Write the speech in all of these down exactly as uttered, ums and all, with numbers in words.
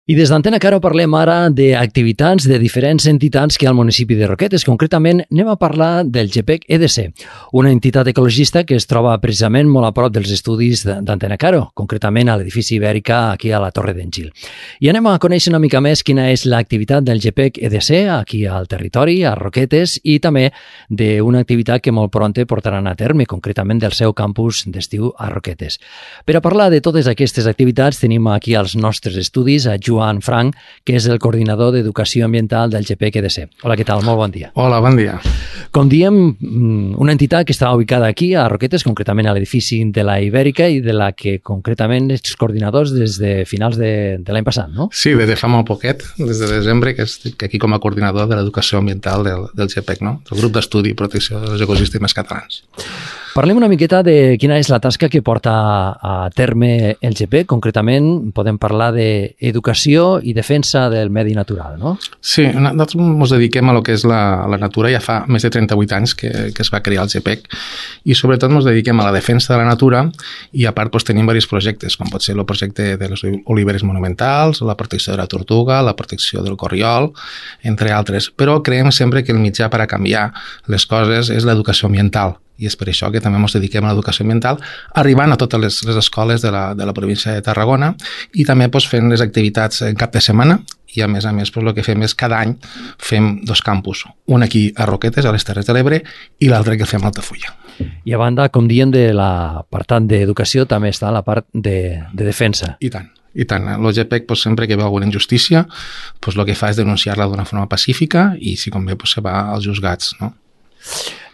I des d'Antena Caro parlem ara d'activitats de diferents entitats que hi ha al municipi de Roquetes. Concretament, anem a parlar del GEPEC E D C, una entitat ecologista que es troba precisament molt a prop dels estudis d'Antena Caro, concretament a l'edifici Ibèrica, aquí a la Torre d'en Gil. I anem a conèixer una mica més quina és l'activitat del GEPEC E D C aquí al territori, a Roquetes, i també d'una activitat que molt pronte portaran a terme, concretament del seu campus d'estiu a Roquetes. Per a parlar de totes aquestes activitats tenim aquí als nostres estudis a Joan Frank, que és el coordinador d'Educació Ambiental del GEPEC E D C. Hola, què tal? Molt bon dia. Hola, bon dia. Com diem, una entitat que està ubicada aquí a Roquetes, concretament a l'edifici de la Ibèrica i de la que concretament ets coordinadors des de finals de, de l'any passat, no? Sí, des de fa molt poquet, des de desembre, que estic aquí com a coordinador de l'Educació Ambiental del, del GEPEC, no? Del grup d'estudi i protecció dels ecosistemes catalans. Parlem una miqueta de quina és la tasca que porta a terme el GEPEC. Concretament, podem parlar d'educació i defensa del medi natural, no? Sí, nosaltres ens dediquem a lo que és la, la natura. Ja fa més de trenta-vuit anys que, que es va crear el GEPEC i sobretot ens dediquem a la defensa de la natura i a part doncs, tenim diversos projectes, com pot ser el projecte de les oliveres monumentals, la protecció de la tortuga, la protecció del corriol, entre altres. Però creiem sempre que el mitjà per a canviar les coses és l'educació ambiental. I és per això que també ens dediquem a l'educació ambiental, arribant a totes les, les escoles de la, de la província de Tarragona i també doncs, fent les activitats en cap de setmana i a més a més doncs, el que fem és cada any fem dos campus, un aquí a Roquetes, a les Terres de l'Ebre, i l'altre que el fem a Altafulla. I a banda, com diem, de l'apartat d'educació també està la part de, de defensa. I tant. I tant, el GEPEC doncs, sempre que veu alguna injustícia doncs, el que fa és denunciar-la d'una forma pacífica i si convé doncs, se va als juzgats, no?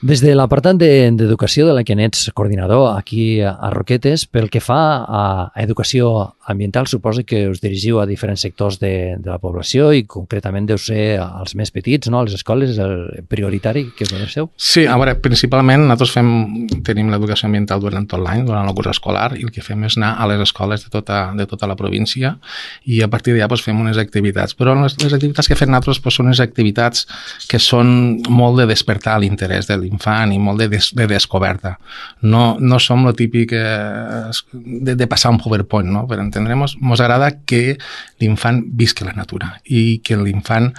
Des de l'apartat d'educació de la que n'ets coordinador aquí a Roquetes, pel que fa a educació ambiental, suposo que us dirigiu a diferents sectors de, de la població i concretament deu ser als més petits, no? A les escoles, el prioritari que us coneixeu? Sí, a veure, principalment nosaltres fem, tenim l'educació ambiental durant tot l'any, durant el curs escolar, i el que fem és anar a les escoles de tota, de tota la província i a partir d'allà doncs, fem unes activitats. Però les, les activitats que fem nosaltres doncs, són unes activitats que són molt de despertar l'interès de l'infant i molt de, des, de descoberta. No, no som el típic eh, de, de passar un PowerPoint, no? Per entendre'ns, ens agrada que l'infant visqui la natura i que l'infant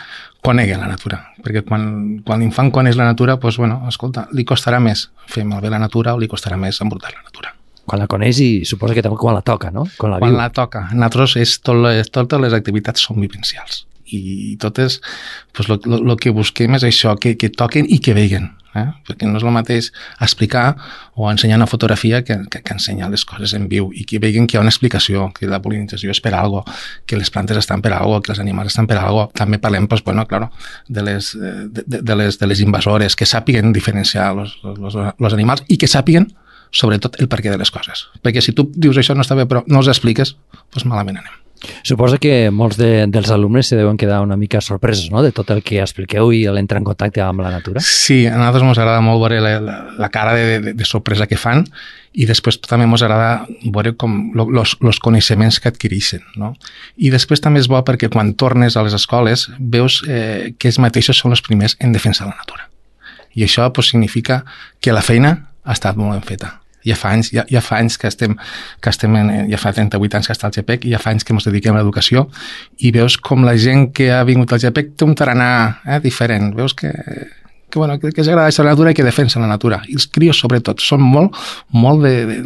conegui la natura, perquè quan, quan l'infant coneix la natura, doncs, bueno, escolta, li costarà més fer malbé la natura o li costarà més embrutar la natura. Quan la coneix i suposa que també quan la toca, no? Quan la, quan viu. la toca. Nosaltres és tot, totes les activitats són vivencials i totes, doncs, lo, lo, lo que busquem és això, que, que toquen i que veguen. Eh? Perquè no és el mateix explicar o ensenyar una fotografia que, que, que ensenyar les coses en viu i que vegin que hi ha una explicació, que la polinització és per algo, que les plantes estan per algo, que els animals estan per algo. També parlem pues, bueno, claro, de, les, de, de, les, de les invasores, que sàpiguen diferenciar els animals i que sàpiguen sobretot el perquè de les coses. Perquè si tu dius això no està bé però no els expliques, doncs malament anem. Suposa que molts de, dels alumnes se deuen quedar una mica sorpresos, no?, de tot el que expliqueu i l'entrar en contacte amb la natura. Sí, a nosaltres ens agrada molt veure la, la, la cara de, de, de sorpresa que fan i després també ens agrada veure com los, los coneixements que adquireixen, no? I després també és bo perquè quan tornes a les escoles veus eh, que ells mateixos són els primers en defensar la natura. I això pues, significa que la feina ha estat molt ben feta. Ja fa anys, ja, ja fa anys que estem, que estem en, ja fa trenta-vuit anys que està al GEPEC i ja fa anys que ens dediquem a l'educació i veus com la gent que ha vingut al GEPEC té un tarannà eh, diferent. Veus que, que, bueno, que, que els agrada la natura i que defensen la natura. I els crios, sobretot, són molt, molt de, de,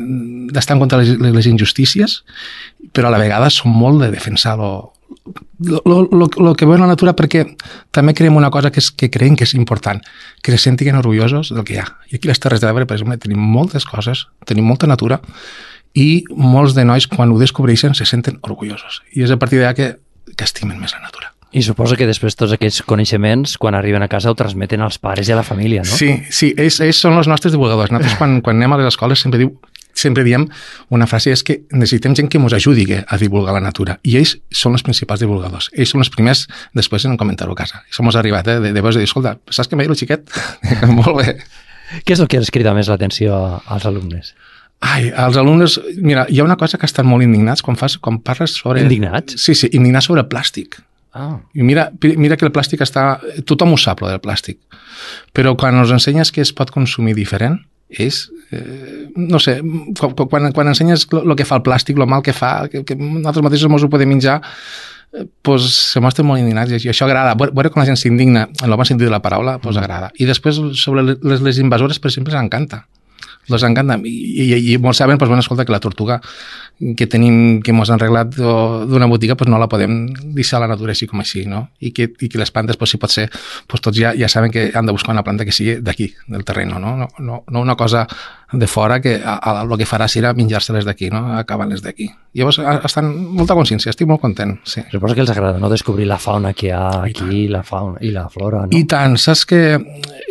d'estar en contra de les, les injustícies, però a la vegada són molt de defensar lo, lo, lo, lo, lo que veuen la natura perquè també creem una cosa que, és, que creiem que és important, que se sentin orgullosos del que hi ha. I aquí a les Terres de l'Ebre, per exemple, tenim moltes coses, tenim molta natura i molts de nois quan ho descobreixen se senten orgullosos. I és a partir d'allà que, que estimen més la natura. I suposo que després tots aquests coneixements, quan arriben a casa, ho transmeten als pares i a la família, no? Sí, sí, ells, ells són els nostres divulgadors. Nosaltres quan, quan anem a les escoles sempre diu sempre diem una frase, és que necessitem gent que ens ajudi a divulgar la natura. I ells són els principals divulgadors. Ells són els primers després en comentar-ho a casa. Això ens ha arribat, eh? De, de veus de dir, escolta, saps que m'ha dit el xiquet? Molt bé. Què és el que els crida més l'atenció als alumnes? Ai, als alumnes, mira, hi ha una cosa que estan molt indignats quan, fas, quan parles sobre... Indignats? Sí, sí, indignats sobre el plàstic. Ah. I mira, mira que el plàstic està... Tothom ho sap, lo del plàstic. Però quan ens ensenyes que es pot consumir diferent, és, eh, no sé, quan, quan ensenyes el que fa el plàstic, el mal que fa, que, que nosaltres mateixos ens ho podem menjar, pues, se mostren molt indignats i això agrada. Veure com la gent s'indigna en el bon sentit de la paraula, pues, agrada. I després sobre les, les invasores, per exemple, s'encanta. Les encanta. I, i, i molts saben, pues, bueno, escolta, que la tortuga que tenim, que ens han arreglat d'una botiga, pues, no la podem deixar a la natura així com així, no? I que, i que les plantes, pues, si pot ser, pues, tots ja, ja saben que han de buscar una planta que sigui d'aquí, del terreny, no? No, no, no una cosa de fora que el que farà serà menjar-se-les d'aquí, no? Acabar-les d'aquí. Llavors, estan molta consciència, estic molt content, sí. Suposo que els agrada, no?, descobrir la fauna que hi ha aquí, la fauna i la flora, no? I tant, saps què,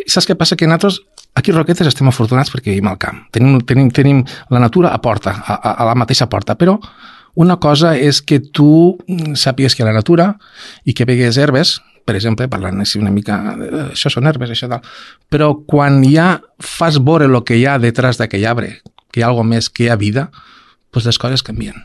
saps què passa? Que nosaltres aquí a Roquetes estem afortunats perquè vivim al camp. Tenim, tenim, tenim la natura a porta, a, a la mateixa porta, però una cosa és que tu sàpigues que hi ha la natura i que vegues herbes, per exemple, parlant així una mica, això són herbes, això tal, però quan ja fas veure el que hi ha detrás d'aquell arbre, que hi ha alguna més, que hi ha vida, doncs les coses canvien.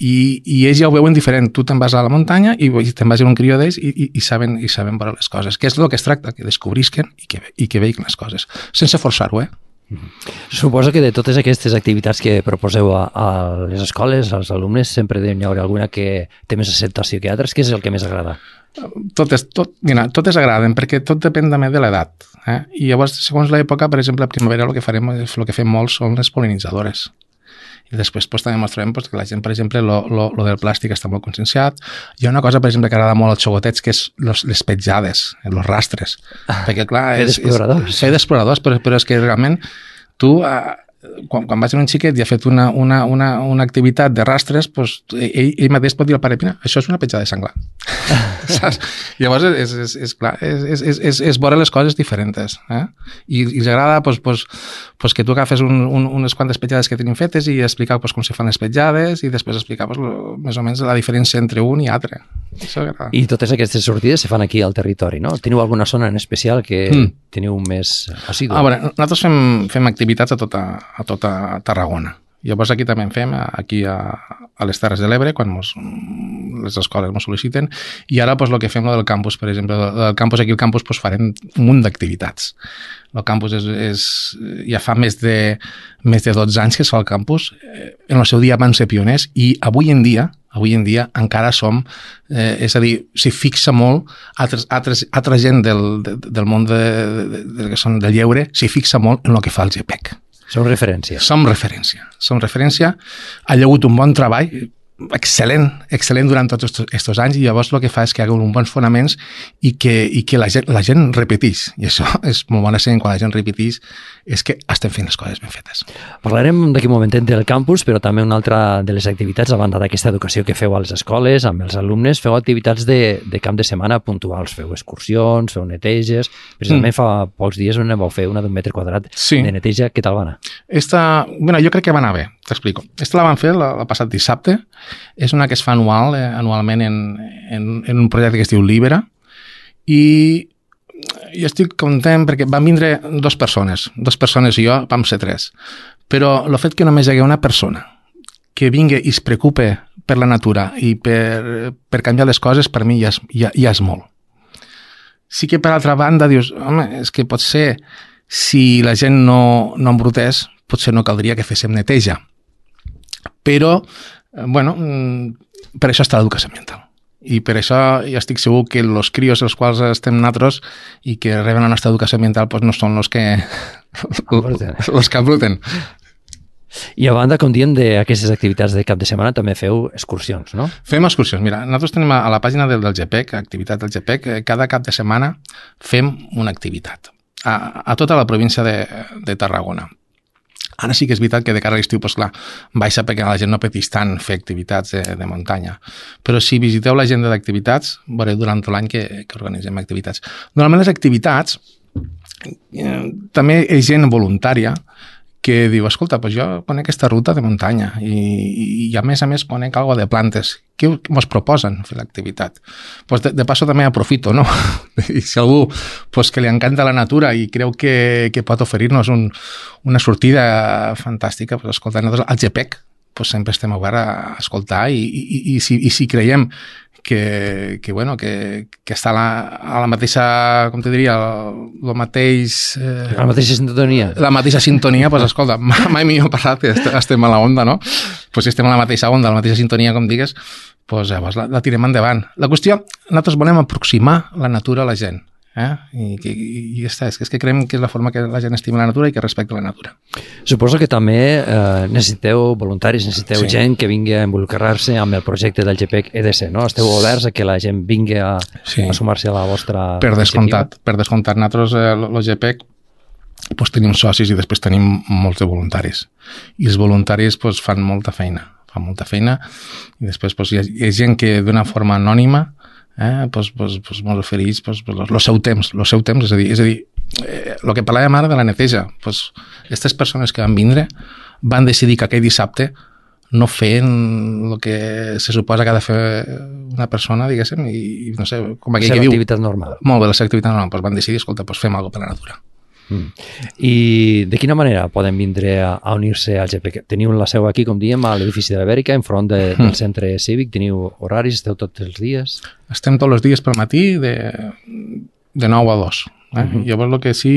I, i ells ja ho veuen diferent. Tu te'n vas a la muntanya i te'n vas a un crió d'ells i, i, i saben i saben veure les coses. Que és el que es tracta, que descobrisquen i que, i que veïn les coses. Sense forçar-ho, eh? Suposo que de totes aquestes activitats que proposeu a, a les escoles, als alumnes, sempre hi haurà alguna que té més acceptació que altres. Què és el que més agrada? Totes, tot, mira, totes agraden, perquè tot depèn també de l'edat. Eh? I llavors, segons l'època, per exemple, a primavera el que farem, el que fem molt són les pol·linitzadores. I després pues, també mostrem pues, que la gent, per exemple, lo, lo, lo del plàstic està molt conscienciat. Hi ha una cosa, per exemple, que agrada molt als xocotets, que és los, les petjades, els rastres. Ah, perquè, clar, fer d'exploradors. Fer d'exploradors, però, però és que realment tu, eh, quan, quan vas a un xiquet i ha fet una, una, una, una activitat de rastres, pues, ell, ell mateix pot dir al pare, mira, això és una petjada de senglar. Saps? Llavors, és, és, és, clar, és, és, és, és, és veure les coses diferents. Eh? I, i els agrada pues, pues, pues, que tu agafes un, un, unes quantes petjades que tenim fetes i explicar pues, com se fan les petjades i després explicar pues, lo, més o menys la diferència entre un i altre. Això agrada. I totes aquestes sortides se fan aquí al territori, no? Teniu alguna zona en especial que mm. teniu més assidu? Ah, bueno, nosaltres fem, fem activitats a tota, a tota Tarragona. Llavors aquí també en fem, aquí a, a les Terres de l'Ebre, quan mos, les escoles ens sol·liciten, i ara pues, el que fem del campus, per exemple, del campus, aquí al campus pues, farem un munt d'activitats. El campus és, és, ja fa més de, més de dotze anys que es fa al campus, en el seu dia van ser pioners, i avui en dia, avui en dia encara som, eh, és a dir, s'hi fixa molt, altres, altres, altra gent del, de, del món de, de, de, que són del lleure, s'hi fixa molt en el que fa el G P E C. Som referència. Som referència. Som referència. Ha hagut un bon treball, excel·lent, excel·lent durant tots aquests anys, i llavors el que fa és que hi ha uns bons fonaments i que, i que la, gent, la gent repeteix. I això és molt bona senyal quan la gent repeteix, és que estem fent les coses ben fetes. Parlarem d'aquí un momentet del campus, però també una altra de les activitats, a banda d'aquesta educació que feu a les escoles, amb els alumnes, feu activitats de, de camp de setmana puntuals, feu excursions, feu neteges. Precisament mm. fa pocs dies on vau fer una d'un metre quadrat sí. de neteja. Què tal va anar? Esta, bueno, jo crec que va anar bé, t'explico. Esta la vam fer el passat dissabte. És una que es fa anual, eh, anualment en, en, en un projecte que es diu Libera, i jo estic content perquè van vindre dues persones, dues persones i jo vam ser tres, però el fet que només hi hagi una persona que vingui i es preocupe per la natura i per, per canviar les coses, per mi ja és, ja, ja és molt. Sí que per altra banda dius, home, és que potser si la gent no, no embrutés, potser no caldria que féssim neteja. Però bueno, per això està l'educació ambiental. I per això jo estic segur que els crios els quals estem nosaltres i que reben la nostra educació ambiental doncs no són els que els que embruten. I a banda, com diem, d'aquestes activitats de cap de setmana també feu excursions, no? Fem excursions. Mira, nosaltres tenim a la pàgina del, del G P E C, activitat del G P E C, cada cap de setmana fem una activitat a, a tota la província de, de Tarragona. Ara sí que és veritat que de cara a l'estiu, doncs clar, baixa perquè la gent no pateix tant fer activitats de, de muntanya. Però si visiteu l'agenda d'activitats, veureu durant tot l'any que, que organitzem activitats. Normalment les activitats, eh, també hi ha gent voluntària que diu, escolta, doncs jo conec aquesta ruta de muntanya i, i a més a més conec alguna de plantes. Què ens proposen fer l'activitat? Pues de, de passo també aprofito, no? I si algú pues, que li encanta la natura i creu que, que pot oferir-nos un, una sortida fantàstica, pues, escolta, nosaltres al G P E C pues, sempre estem oberts a escoltar i, i, i, i, si, i si creiem que, que, bueno, que, que està a la, a la mateixa, com te diria, el, el mateix... Eh, la mateixa sintonia. La mateixa sintonia, doncs escolta, mai millor parlat que estem a la onda, no? Pues si estem a la mateixa onda, a la mateixa sintonia, com digues, pues, llavors la, la tirem endavant. La qüestió, nosaltres volem aproximar la natura a la gent. Eh? I, i, i ja està, és que, és que creiem que és la forma que la gent estima la natura i que respecta la natura. Suposo que també eh, necessiteu voluntaris, necessiteu sí. gent que vingui a involucrar-se amb el projecte del G P E C E D C, no? Esteu oberts a que la gent vingui a, sí. a sumar-se a la vostra per descomptat, per descomptat. Nosaltres, eh, el G P E C, pues, tenim socis i després tenim molts de voluntaris. I els voluntaris pues, fan molta feina, fan molta feina i després pues, hi, ha, hi ha gent que d'una forma anònima eh, pues, pues, pues, mos ofereix pues, pues, el seu temps, el seu temps, és a dir, és a dir eh, el que parlàvem ara de la neteja, pues, aquestes persones que van vindre van decidir que aquell dissabte no feien el que se suposa que ha de fer una persona, diguéssim, i no sé, com aquell que diu... La seva activitat normal. Molt bé, la seva activitat normal, pues van decidir, escolta, pues fem alguna cosa per la natura. Mm. I de quina manera poden vindre a, a unir-se al G P E C? Teniu la seu aquí, com diem, a l'edifici de l'Ibèrica, enfront de, del centre cívic, teniu horaris, esteu tots els dies? Estem tots els dies pel matí de, de nou a dos. Eh? Uh-huh. Llavors el que sí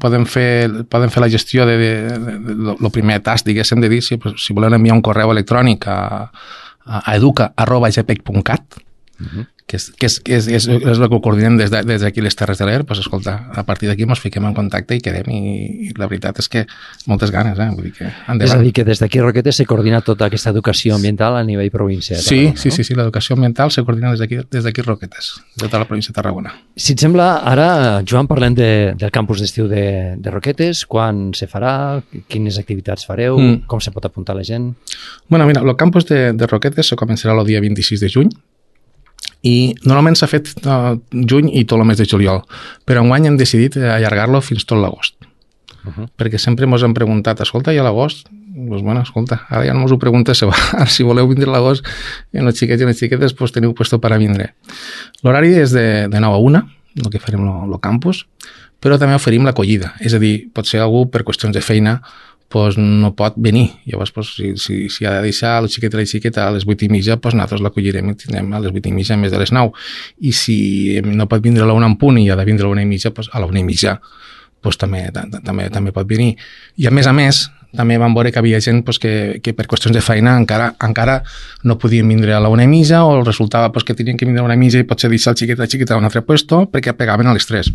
podem fer, podem fer la gestió de, de, de, de, de lo primer tast, diguéssim, de dir si, si volem enviar un correu electrònic a, a, a educa arroba g p e c punt cat, uh-huh. que, és, que, és, que és, és, és el que ho coordinem des d'aquí de, des les Terres de l'Ebre, pues, escolta, a partir d'aquí ens fiquem en contacte i quedem, i, i la veritat és que moltes ganes, eh? Vull dir que endavant. És a dir, que des d'aquí Roquetes se coordina tota aquesta educació ambiental a nivell província de sí, Tarragona, sí, no? sí, sí, l'educació ambiental se coordina des d'aquí des d'aquí Roquetes, de tota la província de Tarragona. Si et sembla, ara, Joan, parlem de, del campus d'estiu de, de Roquetes, quan se farà, quines activitats fareu, mm. com se pot apuntar la gent? Bueno, mira, el campus de, de Roquetes se començarà el dia vint-i-sis de juny, i normalment s'ha fet uh, juny i tot el mes de juliol, però enguany hem decidit allargar-lo fins tot l'agost. Uh-huh. Perquè sempre ens han preguntat, escolta, i a l'agost? Doncs bueno, escolta, ara ja no us ho preguntes, si voleu vindre a l'agost, i els xiquets i les xiquetes pues, teniu puesto per a vindre. L'horari és de, de nou a una, el que farem el campus, però també oferim l'acollida, és a dir, pot ser algú per qüestions de feina pues no pot venir. Llavors, pues, si, si, si ha de deixar el xiquet i la xiqueta a les vuit i mitja, pues nosaltres l'acollirem i tindrem a les vuit i mitja en més de les nou. I si no pot vindre a la una en punt i ha de vindre a la una i mitja, pues a la una i mitja pues, també, també, també pot venir. I a més a més, també vam veure que havia gent pues, que, que per qüestions de feina encara, encara no podien vindre a la una i mitja o resultava pues, que tenien que vindre a la una i mitja i potser deixar el xiquet i la xiqueta a un altre puesto perquè pegaven a les tres.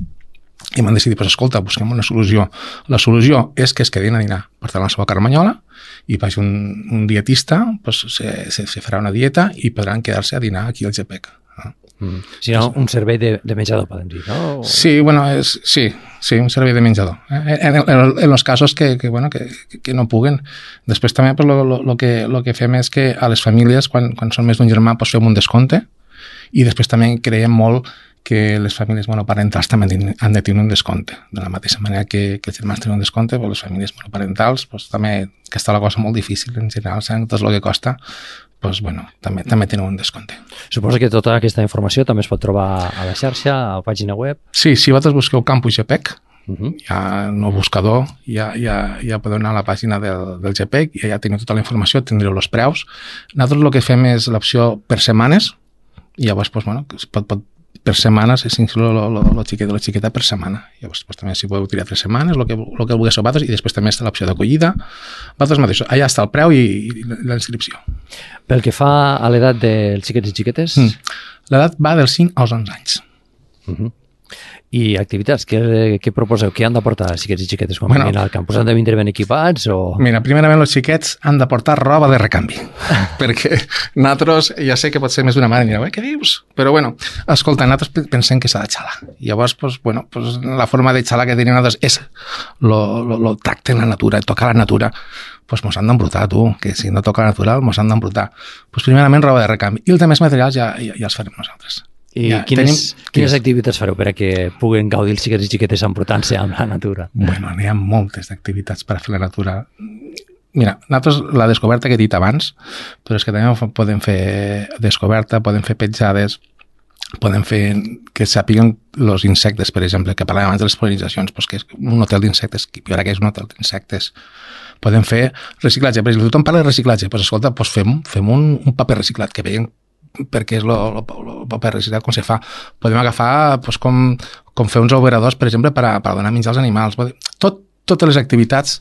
I m'han decidit, pues, escolta, busquem una solució. La solució és que es quedin a dinar. Portaran la seva carmanyola i vagi un, un dietista, pues, se, se, se farà una dieta i podran quedar-se a dinar aquí al G P E C. Mm. Si no, un servei de, de menjador, podem dir, no? O... Sí, bueno, és, sí, sí, un servei de menjador. Eh? En, en, en els casos que, que, bueno, que, que no puguen. Després també pues, lo, lo, lo, que, lo que fem és que a les famílies, quan, quan són més d'un germà, pues, fem un descompte i després també creiem molt que les famílies monoparentals també han de tenir un descompte. De la mateixa manera que, que els germans tenen un descompte, però les famílies monoparentals, pues, també, que està la cosa molt difícil en general, saben tot el que costa, pues, bueno, també, també tenen un descompte. Suposo que tota aquesta informació també es pot trobar a la xarxa, a la pàgina web? Sí, si vosaltres busqueu Campus G P E C, uh-huh. ja no buscador, ja, ja, ja podeu anar a la pàgina del, del G P E C i ja teniu tota la informació, tindreu els preus. Nosaltres el que fem és l'opció per setmanes, i llavors, pues, bueno, pot, pot per setmanes, és inclús el xiquet o la xiqueta per setmana. Llavors, pues, també si podeu tirar tres setmanes, el que, el que vulgueu vosaltres, i després també està l'opció d'acollida. Vosaltres mateixos, allà està el preu i, i la inscripció. Pel que fa a l'edat dels xiquets i xiquetes? Mm. L'edat va dels cinc als onze anys. Uh-huh. I activitats, què, què proposeu? Què han de portar els xiquets i xiquetes quan bueno, vinguin al campus? Han de vindre ben equipats? O... Mira, primerament els xiquets han de portar roba de recanvi, perquè nosaltres, ja sé que pot ser més d'una mare, direu, eh, què dius? Però bueno, escolta, nosaltres pensem que s'ha de xalar. Llavors, pues, bueno, pues, la forma de xalar que tenim nosaltres és el tracte en la natura, tocar la natura. Pues mos han d'embrutar, tu, que si no toca la natural, mos han d'embrutar. Pues primerament roba de recanvi. I els altres materials ja, ja, ja els farem nosaltres. I ja, quines, tenim, quines activitats fareu per a que puguen gaudir els xiquets i xiquetes embrutant-se amb la natura? Bueno, n'hi ha moltes d'activitats per a fer la natura. Mira, nosaltres la descoberta que he dit abans, però és que també podem fer descoberta, podem fer petjades, podem fer que sàpiguen els insectes, per exemple, que parlàvem abans de les pol·linitzacions, doncs que és un hotel d'insectes, i ara que és un hotel d'insectes. Podem fer reciclatge, per exemple, tothom parla de reciclatge, doncs escolta, doncs fem, fem un, un paper reciclat, que veiem perquè és el paper reciclat com se fa. Podem agafar pues, com, com fer uns operadors, per exemple, per a, per a donar menjar als animals. Tot, totes les activitats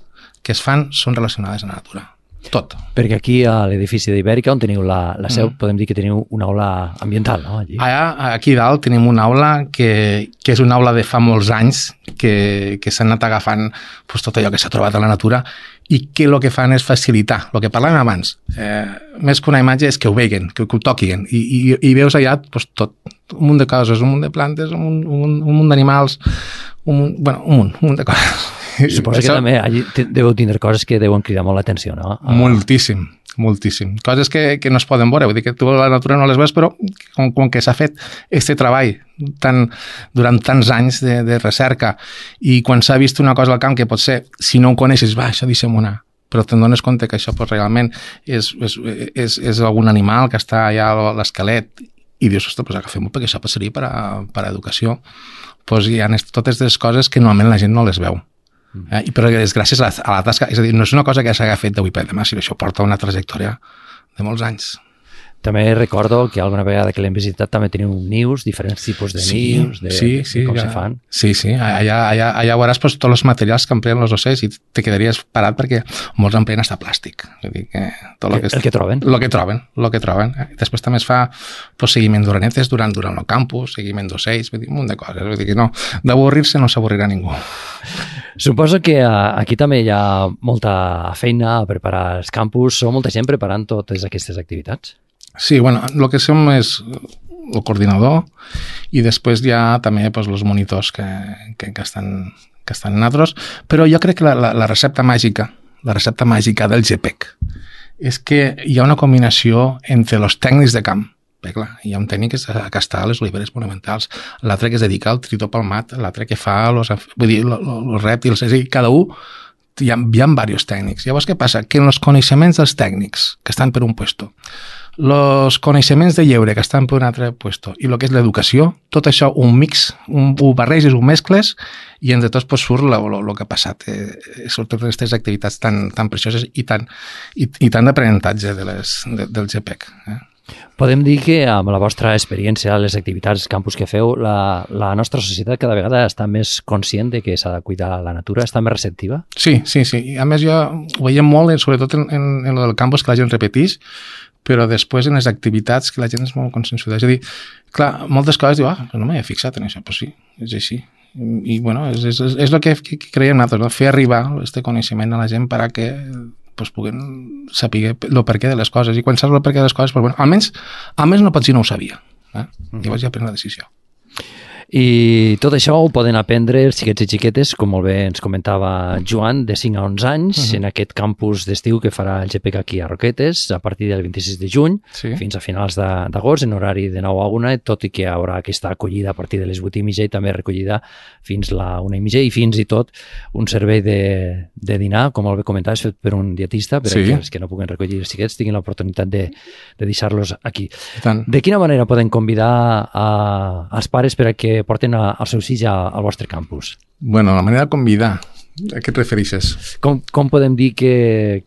que es fan són relacionades a la natura. tot. Perquè aquí a l'edifici d'Ibèrica, on teniu la, la seu, mm. podem dir que teniu una aula ambiental, no? Allí. Allà, aquí dalt tenim una aula que, que és una aula de fa molts anys que, que s'han anat agafant pues, tot allò que s'ha trobat a la natura i que el que fan és facilitar, el que parlàvem abans, eh, més que una imatge és que ho veien, que, que ho toquin, i, i, i veus allà pues, tot, un munt de coses, un munt de plantes, un, munt, un, un munt d'animals, un, munt, bueno, un munt, un munt de coses. Suposo que també allí deveu tindre coses que deuen cridar molt l'atenció, no? Moltíssim, moltíssim. Coses que, que no es poden veure, vull dir que tu a la natura no les veus, però com, com que s'ha fet aquest treball tan, durant tants anys de, de recerca i quan s'ha vist una cosa al camp que potser, si no ho coneixes, va, això deixem anar, però te'n dones compte que això pues, realment és, és, és, és algun animal que està allà a l'esquelet i dius, ostres, pues agafem-ho perquè això passaria per a, per a educació. Pues hi ha totes les coses que normalment la gent no les veu. Eh? Però és gràcies a la, a la tasca, és a dir, no és una cosa que s'haga fet d'avui per demà, sinó això porta una trajectòria de molts anys. També recordo que alguna vegada que l'hem visitat també teniu nius, diferents tipus de sí, nius, de, sí, sí, de com ja, se fan. Sí, sí, allà, allà, allà veuràs pues, tots els materials que empleen els ocells i te quedaries parat perquè molts empleen hasta plàstic. Vull dir que tot lo que, el que troben. El que troben, el que troben. Després també es fa pues, seguiment d'orenetes durant, durant el campus, seguiment d'ocells, vull dir, un munt de coses. Vull dir que no, d'avorrir-se no s'avorrirà ningú. Suposo que aquí també hi ha molta feina a preparar els campus, o molta gent preparant totes aquestes activitats. Sí, bueno, el que som és el coordinador i després hi ha també pues, els monitors que, que, que, estan, que estan nosaltres, però jo crec que la, la, la recepta màgica, la recepta màgica del G P E C és que hi ha una combinació entre els tècnics de camp. Bé, clar, hi ha un tècnic que està a les oliveres monumentals, l'altre que es dedica al tritó palmat, l'altre que fa els, vull dir, els rèptils, és a dir, cada un hi ha, hi ha diversos tècnics. Llavors, què passa? Que en els coneixements dels tècnics que estan per un puesto, els coneixements de lleure que estan per un altre puesto i el que és l'educació, tot això un mix, un, ho barreges, ho mescles i entre tots pues, surt el que ha passat. Eh, surten aquestes activitats tan, tan precioses i tant, i, i tant d'aprenentatge de les, de, del G P E C. Eh? Podem dir que amb la vostra experiència, les activitats campus que feu, la, la nostra societat cada vegada està més conscient de que s'ha de cuidar la natura, està més receptiva? Sí, sí, sí. I a més jo ho veiem molt, sobretot en, en, en el campus, que la gent repeteix, però després en les activitats que la gent és molt consensuada. És a dir, clar, moltes coses diu, ah, no m'he fixat en això, però sí, és així. I, i bueno, és, és, és el que, que creiem nosaltres, no? Fer arribar aquest coneixement a la gent per a que pues, puguen saber el perquè de les coses. I quan saps el perquè de les coses, pues, bueno, almenys, almenys no pots dir no ho sabia. Eh? Mm-hmm. Llavors ja pren la decisió. I tot això ho poden aprendre els xiquets i xiquetes, com molt bé ens comentava Joan, de cinc a onze anys, uh-huh. en aquest campus d'estiu que farà el G P E C aquí a Roquetes, a partir del vint-i-sis de juny, sí. fins a finals d'agost, en horari de nou a una, tot i que hi haurà aquesta acollida a partir de les vuit i mitja i també recollida fins la una i mitja, i fins i tot un servei de, de dinar, com molt bé comentaves, fet per un dietista, per sí. que els que no puguen recollir els xiquets tinguin l'oportunitat de, de deixar-los aquí. Tant. De quina manera poden convidar a, als pares per a que porten a, als seus fills a, al vostre campus? Bueno, la manera de convidar, a què et refereixes? Com, com podem dir que,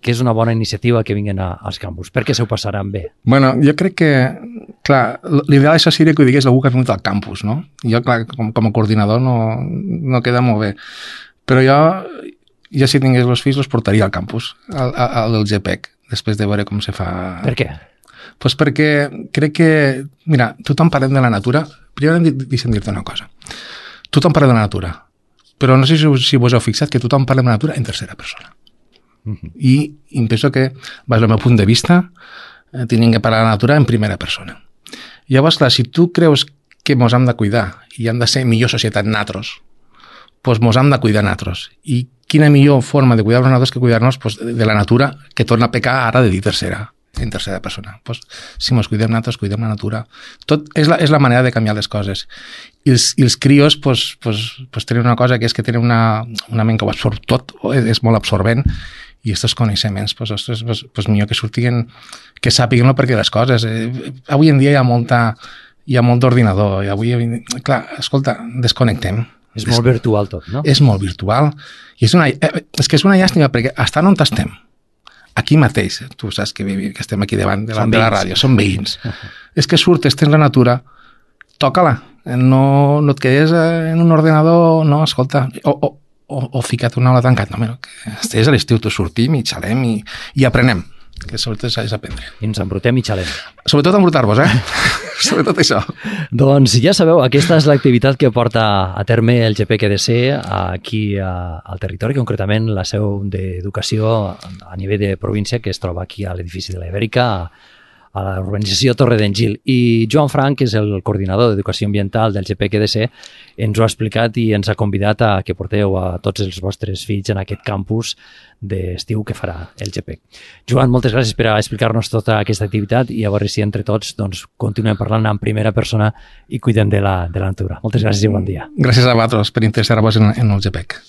que és una bona iniciativa que vinguin a, als campus? Perquè s'ho passaran bé? Bueno, jo crec que, clar, l'ideal això seria que ho digués algú que ha vingut al campus, no? Jo, clar, com, com a coordinador no, no queda molt bé. Però jo, jo si tingués els fills, els portaria al campus, al, al del G P E C, després de veure com se fa... Per què? Pues perquè crec que, mira, tothom parlem de la natura. Primer deixa'm dir-te una cosa. Tothom parla de la natura, però no sé si, si vos heu fixat que tothom parla de la natura en tercera persona. Uh-huh. I, i em penso que, des del meu punt de vista, eh, tenim que parlar de la natura en primera persona. Llavors, clar, si tu creus que mos hem de cuidar i hem de ser millor societat natros, doncs mos hem de cuidar natros. I quina millor forma de cuidar-nos natros que cuidar-nos pues, de la natura, que torna a pecar ara de dir tercera. En tercera persona. Pues, si ens cuidem nosaltres, cuidem la natura. Tot és la, és la manera de canviar les coses. I els, i els crios pues, pues, pues, tenen una cosa que és que tenen una, una ment que ho absorb tot, és, és molt absorbent, i aquests coneixements, pues, ostres, pues, pues, millor que surtin, que sàpiguen el perquè de les coses. Eh, avui en dia hi ha molta, hi ha molt d'ordinador, i avui, clar, escolta, desconnectem. És Des... molt virtual tot, no? És molt virtual. I és, una, eh, és que és una llàstima, perquè estan on estem, aquí mateix, tu saps que, que estem aquí davant de la, de la ràdio, som veïns. És que surtes, tens la natura, toca-la, no, no et quedes en un ordenador, no, escolta, o, o, o, o ficat una aula tancat. No, mira, que estigués a l'estiu, tu sortim i xalem i, i aprenem, que sobretot és aprendre. I ens embrutem i xalem. Sobretot embrutar-vos, eh? Sobretot això. Doncs ja sabeu, aquesta és l'activitat que porta a terme el G P E C D C aquí a, al territori, concretament la seu d'educació a nivell de província, que es troba aquí a l'edifici de la Ibèrica, a la urbanització Torre d'Engil. I Joan Frank, que és el coordinador d'Educació Ambiental del G P E C D C, ens ho ha explicat i ens ha convidat a que porteu a tots els vostres fills en aquest campus d'estiu que farà el G P E C. Joan, moltes gràcies per explicar-nos tota aquesta activitat i a veure si entre tots doncs, continuem parlant en primera persona i cuidem de la, de la natura. Moltes gràcies i bon dia. Gràcies a vosaltres per interessar-vos en, en el G P E C.